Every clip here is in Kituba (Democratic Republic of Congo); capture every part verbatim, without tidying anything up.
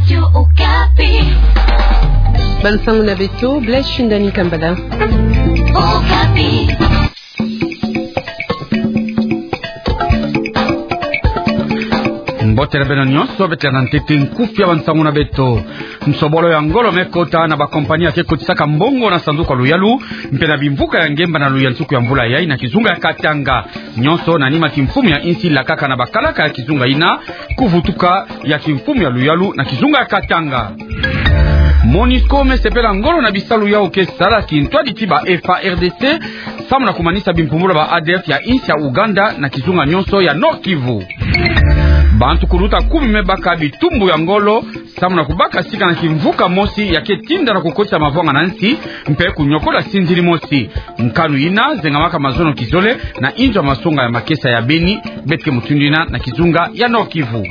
Radio Okapi. Bansango na beto, Blaise Shindani Kambala. Okapi. Mbote na beno nyonso, beto landa ntete nkufi ya bansango na beto. Nsobolo ya ngolo me kota na bakompani ya ke kotisaka mbongo na sanduku ya luyalu, mpe na bimvuka ya ngemba na luyansuku ya mvula yai na kizunga ya Katanga. Nyonso na nima kimfumu ya insi lakaka na bakalaka ya kizunga ina, kuvutuka ya kimfumu ya luyalu na kizunga ya Katanga. Monusco me sepela ngolo na bisalu yau ke sala kintwadi ti ba F A R D C, samu na kumanisa bimpumbulu ba A D F ya insi ya Ouganda na kizunga nyonso ya Nord-Kivu. Bantu kuluta kumi me baka bitumbu ya ngolo, samu na kubaka sika na kimvuka mosi ya ke tinda na kukotisa mavwanga na nsi, mpe kunyokola sindiri mosi. Nkanu ina zengamaka mazono kizole na inzo ya masonga ya makesa ya beni, beto ke mutindu ina na kizunga ya Nord-Kivu.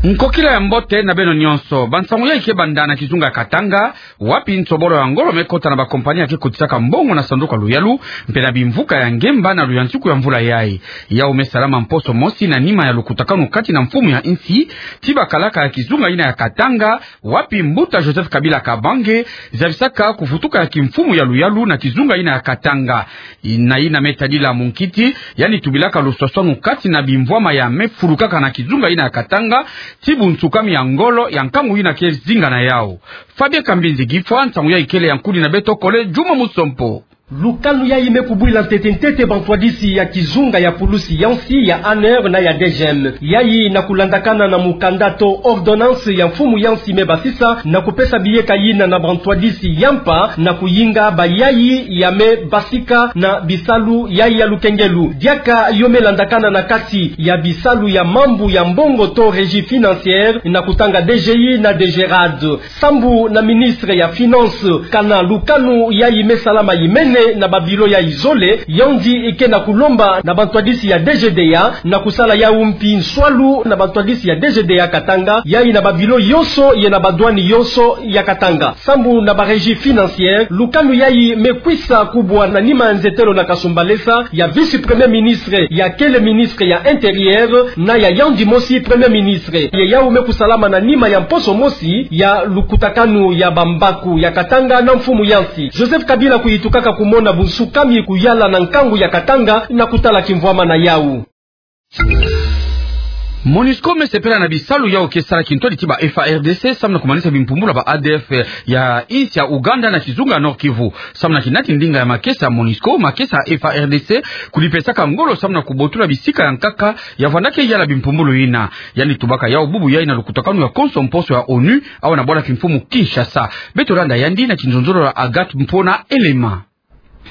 Nkokila ya mbote na beno nyonso. Bansango yai ke banda na kizunga ya Katanga, wapi nsobolo ya ngolo me kota na bakompani ya ke kotisaka mbongo na sanduku ya luyalu, mpe na bimvuka ya ngemba na luyansuku ya mvula yai. Yau me salama mposo mosi na nima ya lukutakanu kati na mfumu ya insi ti bakalaka ya kizunga ina ya Katanga, wapi mbuta Joseph Kabila Kabange zabisaka kuvutuka ya kimfumu ya luyalu na kizunga ina ya Katanga. Ina ina me tadila munkiti, yandi tubilaka luswaswanu kati na bimvwama ya me fulukaka na kizunga ina ya Katanga, ti bunsukami ya ngolo ya nkangu ina ke zinga na yau. Fabien Kambinzi Gifwa, nsangu yai kele ya nkudi na beto kole Juma Musompo. Lukanu yai me kubwila ntete ntete bantwadisi ya kizunga ya pulusi ya nsi ya ANR na ya DGM. Yai na kulandakana na mukanda to ordonnance ya mfumu ya nsi me basisa na kupesa biyeka yina na bantwadisi ya mpa na kuyinga bayai ya me basika na bisalu yai ya lukengelu. Diaka yo me landakana na kati ya bisalu ya mambu ya mbongo to régie financière na kutanga DGI na DGRAD. Sambu na ministre ya Finances, kana lukanu yai me salama yimene na babilo yai zole, yandi ke na kulomba na bantwadisi ya DGDA na kusala yau mpi nswalu na bantwadisi ya DGDA Katanga, yai na babilo yonso ye na badouane yonso ya Katanga. Sambu na ba régie financière, lukanu yai me kwisa kubwa na nima nzetelo na kasumbalesa ya vice-premier ministre, ya kele ministre ya Intérieur, na ya yandi mosi Premier Ministre. Ye yau me kusalama na nima ya mposo mosi ya lukutakanu ya bambaku ya Katanga na mfumu ya nsi. Joseph Kabila kuyitukaka kumona bunsukami kuyala na nkangu ya Katanga na kutala kimvwama na yau. Monusco me sepela na bisalu yau ke sala kintwadi ti ba F A R D C, samu na kumanisa bimpumbulu ba A D F ya insi ya Ouganda na kizunga Nord-Kivu. Samu na kinati ndinga ya makesa ya Monusco, makesa ya F A R D C kudipesaka ngolo samu na kubotula bisika ya nkaka ya vanda ke yala bimpumbulu ina. Yandi tubaka yau bubu yai na lukutakanu ya konso mposo ya ONU, awa na bwala kimfumu Kinshasa. Beto landa yandi na kinzonzolo ya Agathe Mpona Elema.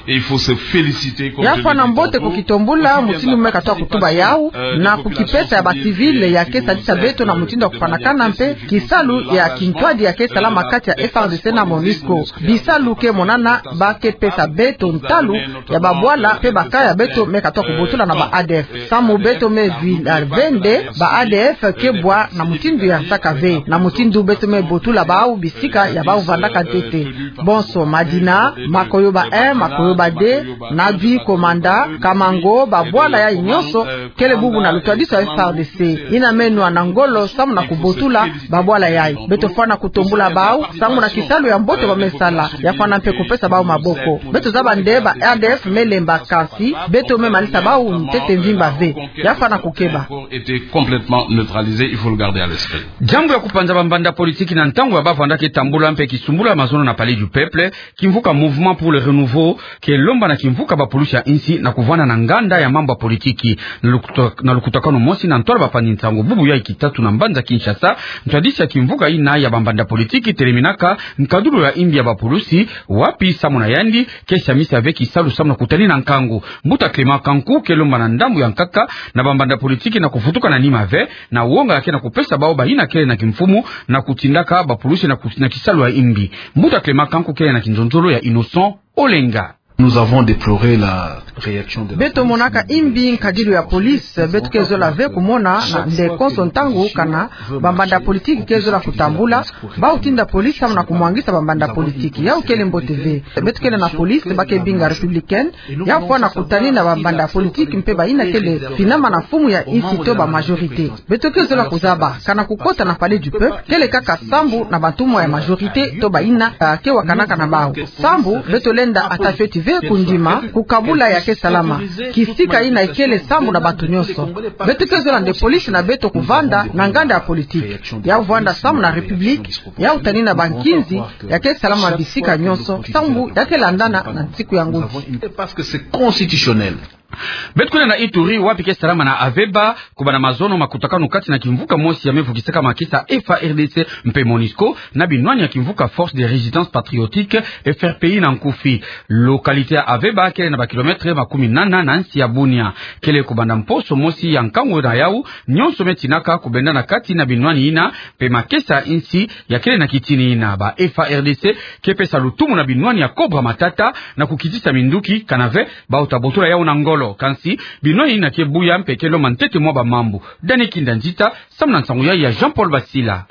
Et il faut se féliciter compte tenu du temps. Ya fwana mbote kukitombula mutindu me katoa kutuba yau, euh, na kukipesa ya ba civil ya ke sadisa beto na mutindu ya kufwanakana mpe kisalu ya kintwadi ya ke salama kati ya F A R D C na Monusco. Bisalu ke monana ba ke pesa beto ntalu ya babwala mpe baka ya beto me katoa kubotula na ba A D F. Samu beto me vila vende, ba A D F ke bwa na mutindu ya nsaka ve, na mutindu beto me botula bau bisika ya bau vandaka ntete. Bonso madina, Makoyoba un, Makoyoba deux, Nadui, Komanda, Kamango, babwala yai nyonso kele bubu na lutwadiso ya F A R D C. Ina me nwa na ngolo samu na kubotula babwala yai. Beto fwana kutombula bau samu na kisalu ya mbote ba me sala. Ya fwana mpe kupesa bau maboko. Beto zaba nde ba A D F me lemba, kansi beto me manisa bau ntete mvimba ve. Ya fwana kukeba. Était complètement neutralisé, il faut le garder à l'esprit. Diambu ya kupanza bambanda politiki na ntangu ya ba vandaka tambula mpe kisumbula mazono na Palais du Peuple, kimvuka Mouvement pour le Renouveau ke lomba na kimvuka bapulusi ya insi na kuvanda na nganda ya mambu ya politiki. Na lukuta-, na lukutakanu mosi na ntwala bafandi nsangu bubu yai kitatu na mbanza Kinshasa, ntwadisi ya kimvuka ina ya bambanda politiki teleminaka nkadulu ya imbi ya bapulusi, wapi samu na yandi ke samisa ve kisalu samu na kutani na nkangu. Mbuta Clément Kanku ke lomba na ndambu ya nkaka na bambanda politiki na kuvutuka na nima ve, na wonga ya ke na kupesa bau bayina kele na kimfumu na kutindaka bapulusi na ku-, na kisalu ya imbi. Mbuta Clément Kanku kele na kinzonzolo ya Innocent Olenga. Nous avons déploré la réaction de la police. Beto monaka imbi nkadilu ya police, beto ke zola ve kumona na nde konso ntangu kana bambanda politique ke zola kutambula, bau tinda police samu na kumwangisa bambanda politique. Yau kele mbote ve. Beto kele na police ba ke binga républicaine, yau fwana kutani na bambanda politique mpe bayina kele finama na mfumu ya insi to ba majorité. Beto ke zola kuzaba kana kukota na Palais du Peuple kele kaka sambu na bantumwa ya majorité to bayina, ah, ke wakanaka na bau. Sambu beto lenda ata fioti ve kundima kukabula ya ke salama. Kisika yina ikele sambu na bantu nyonso. Beto ke zola nde police na beto kuvanda na nganda ya politique. Yau vwanda sambu na république, yau tani na bankinzi ya ke salama bisika nyonso, sambu ya ke landana na nsiku ya ngudi. Parce que c'est constitutionnel. Beto kwenda na Ituri, wapi ke salama na Aveba, kubanda mazono makutakanu kati na kimvuka mosi ya mevukisaka makesa F A R D C mpe MONUSCO, na binwani ya kimvuka Force de Résistance Patriotique, F R P I na nkufi. Localité ya Aveba kele na ba kilomètre makumi nana na nsi ya Bunia. Kele kubanda mposo mosi ya nkangu na yau, nyonso me tinaka kubendana kati na binwani yina, mpe makesa insi ya kele na kitini yina. Ba F A R D C ke pesa lutumu na binwani ya Cobra Matata na kukitisa minduki kana ve bau ta botola yau na ngolo. Kansi binwani yina ke buya mpe ke lomba ntete mwa bamambu. Dani Kinda Nzita, samu na nsangu ya, ya Jean-Paul Basila.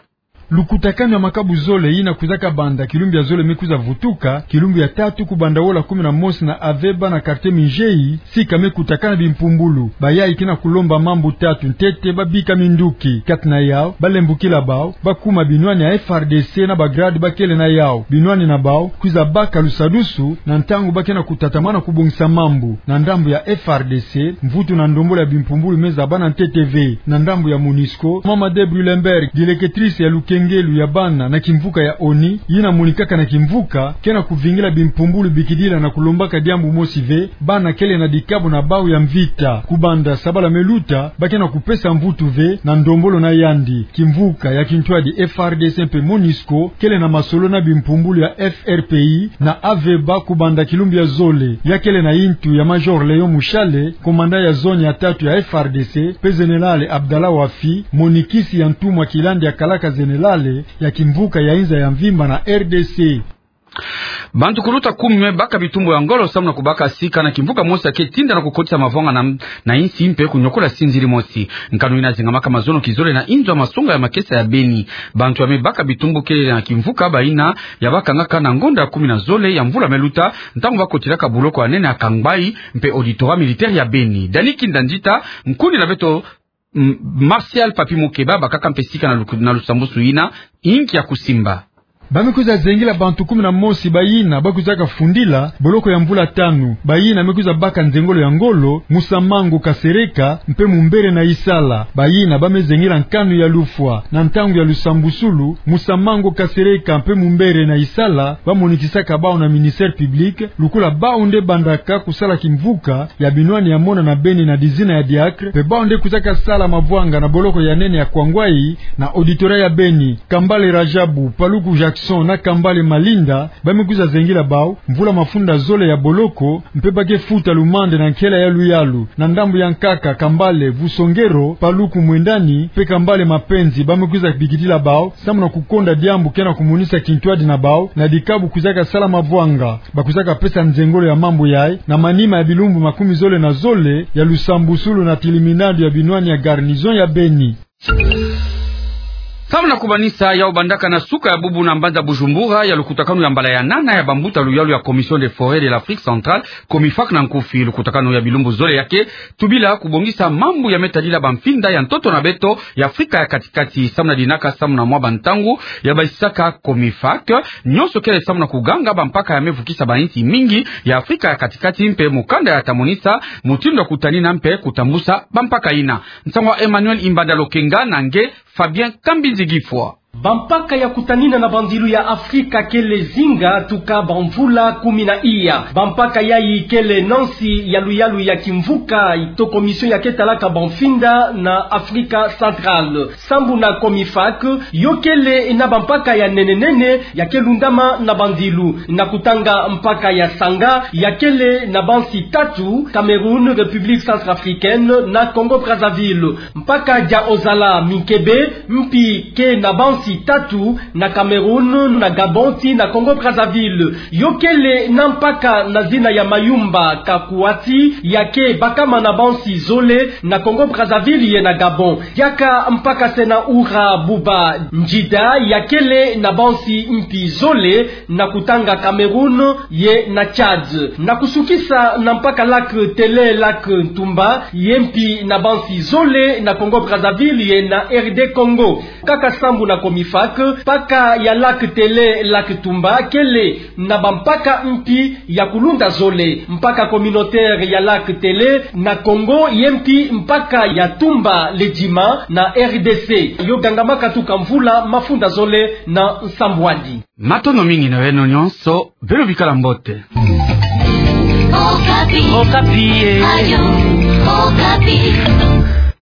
Lukutakanu ya makabu zole yina kwizaka banda kilumbu ya zole me kwiza vutuka, kilumbu ya tatu kubanda wola kumi na mosi na Aveba na quartier Minjeyi, sika me kutakana bimpumbulu. Bayayi ke na kulomba mambu tatu ntete: babika minduki, kati na yau, balembukila bau, bakuma binwani ya F A R D C na ba grade ba kele na yau. Binwani na bau kwiza baka lusadusu na ntangu ba ke na kutatamana kubongisa mambu. Na ndambu ya F A R D C, mvutu na ndombolo ya bimpumbulu me zabana ntete ve. Na ndambu ya MONUSCO, Mama Debrullenberg, directrice ya lukengelu ya bana na kimvuka ya ONI, yina monikaka na kimvuka, ke na kuvingila bimpumbulu bikidila na kulombaka diambu mosi ve: bana kele na dikabu na bau ya mvita. Kubanda sabala me luta, ba ke na kupesa mvutu ve na ndombolo na yandi. Kimvuka ya kintwadi F A R D C mpe MONUSCO kele na masolo na bimpumbulu ya F R P I na Aveba kubanda kilumbu ya zole. Ya kele na yintu ya Major Léon Mushale, commandant ya zone ya tatu ya F A R D C, mpe Général Abdallah Wafi, monikisi ya ntumwa kilandi ya kalaka général ya kimvuka ya inza ya mvimba na R D C. Bantu kuluta kumi me baka bitumbu ya ngolo samu na kubaka sika na kimvuka mosi ya ke tinda na kukotisa mavwanga na, na insi mpe kunyokola sinzili mosi. Nkanu yina zingamaka mazono kizole na inzo ya masonga ya makesa ya Beni. Bantu ya me baka bitumbu kele na kimvuka bayina ya bakangaka na ngonda ya kumi na zole ya mvula me luta, ntangu bakotilaka boloko ya nene ya Kangbayi mpe auditorat militaire ya Beni. Dani Kinda Nzita, nkundi na beto, M-, Martial Papi Mukeba, bakaka mpe sika na luku-, na lusambusu yina, inki ya kusimba. Ba me kwiza zengila bantu kumi na mosi bayina ba kwizaka fundila boloko ya mvula tanu, bayina me kwiza baka nzengolo ya ngolo, Musamango Kasereka mpe Mumbere Nayisala, bayina ba me zengila nkanu ya lufwa. Na ntangu ya lusambusulu, Musamango Kasereka mpe Mumbere Nayisala ba monikisaka bau na ministère public, lukula bau nde bandaka kusala kimvuka ya binwani ya mona na Beni na dizina ya diacre, mpe bau nde kwizaka sala mavwanga na boloko ya nene ya Kangbayi na auditorat ya Beni. Kambale Rajabu, Paluku Jackson na Kambale Malinda, ba me kwiza zengila bau, mvula mafunda zole ya boloko, mpe ba ke futa lumande na nkela ya luyalu. Na ndambu ya nkaka, Kambale Vusongero, Paluku Mwendani mpe Kambale Mapenzi ba me kwiza bikidila bau samu na kukonda diambu ke na kumonisa kintwadi na bau na dikabu kwizaka sala mavwanga. Ba kwizaka pesa nzengolo ya mambu yayi na manima ya bilumbu makumi zole na zole ya lusambusulu na tiliminado ya binwani ya garnison ya Beni. Samu na kumanisa, ya bandaka na suka ya bubu na mbanza Bujumbura ya lukutakanu ya mbala ya nana ya bambuta luyalu ya Commission des Forêts de l'Afrique Centrale, COMIFAC na nkufi. Lukutakanu ya bilumbu zole ya ke tubila kubongisa mambu ya me tadila bamfinda ya ntoto na beto ya Afrika ya Katikati. Samu na dinaka, samu na mwa bantangu ya basisaka COMIFAC, nyonso kele samu na kuganga bampaka ya me vukisa bainsi mingi ya Afrika ya Katikati mpe mukanda ya ta monisa mutindu ya kutanina mpe kutambusa bampaka yina. Nsangu ya Emmanuel Imbanda Lokenga na nge Fabien Kambinzi Gifwa. Bampaka ya kutanina na bandilu ya Afrika kele zinga tuka bamvula kumi na iya. Bampaka yayi kele na nsi ya luyalu ya kimvuka to commission ya ke talaka bamfinda na Afrika Centrale. Sambu na COMIFAC, yo kele na bampaka ya nene nene ya ke lundama na bandilu. Na kutanga mpaka ya sanga, ya kele na bansi tatu: Cameroun, République Centrafricaine na Congo-Brazzaville. Mpaka ya ozala minkebe, mpi ke na bansi tatu, na Cameroun, na Gabon tii na Congo-Brazzaville. Yo kele na mpaka na zina ya Mayumba Kakuati, ya ke bakama na bansi zole na Congo-Brazzaville ye na Gabon. Diaka mpaka se na ura buba Ndjida, ya kele na bansi mpi zole na kutanga Cameroun ye na Tchad. Na kusukisa na mpaka lac Télé, lac Ntumba, ye mpi na bansi zole na Congo-Brazzaville ye na R D Congo. Kaka sambu na COMIFAC, mpaka ya lac Télé, lac Ntumba, kele na bampaka mpi ya kulunda zole. Mpaka communautaire ya lac Télé na Congo, ye mpi mpaka ya Ntumba Ledjima na R D C. Yo gangama katuka mvula mafunda zole na nsambwadi. Matondo mingi na beno nyonso, beno bikala mbote. Okapi. Okapi, eh. Radio Okapi.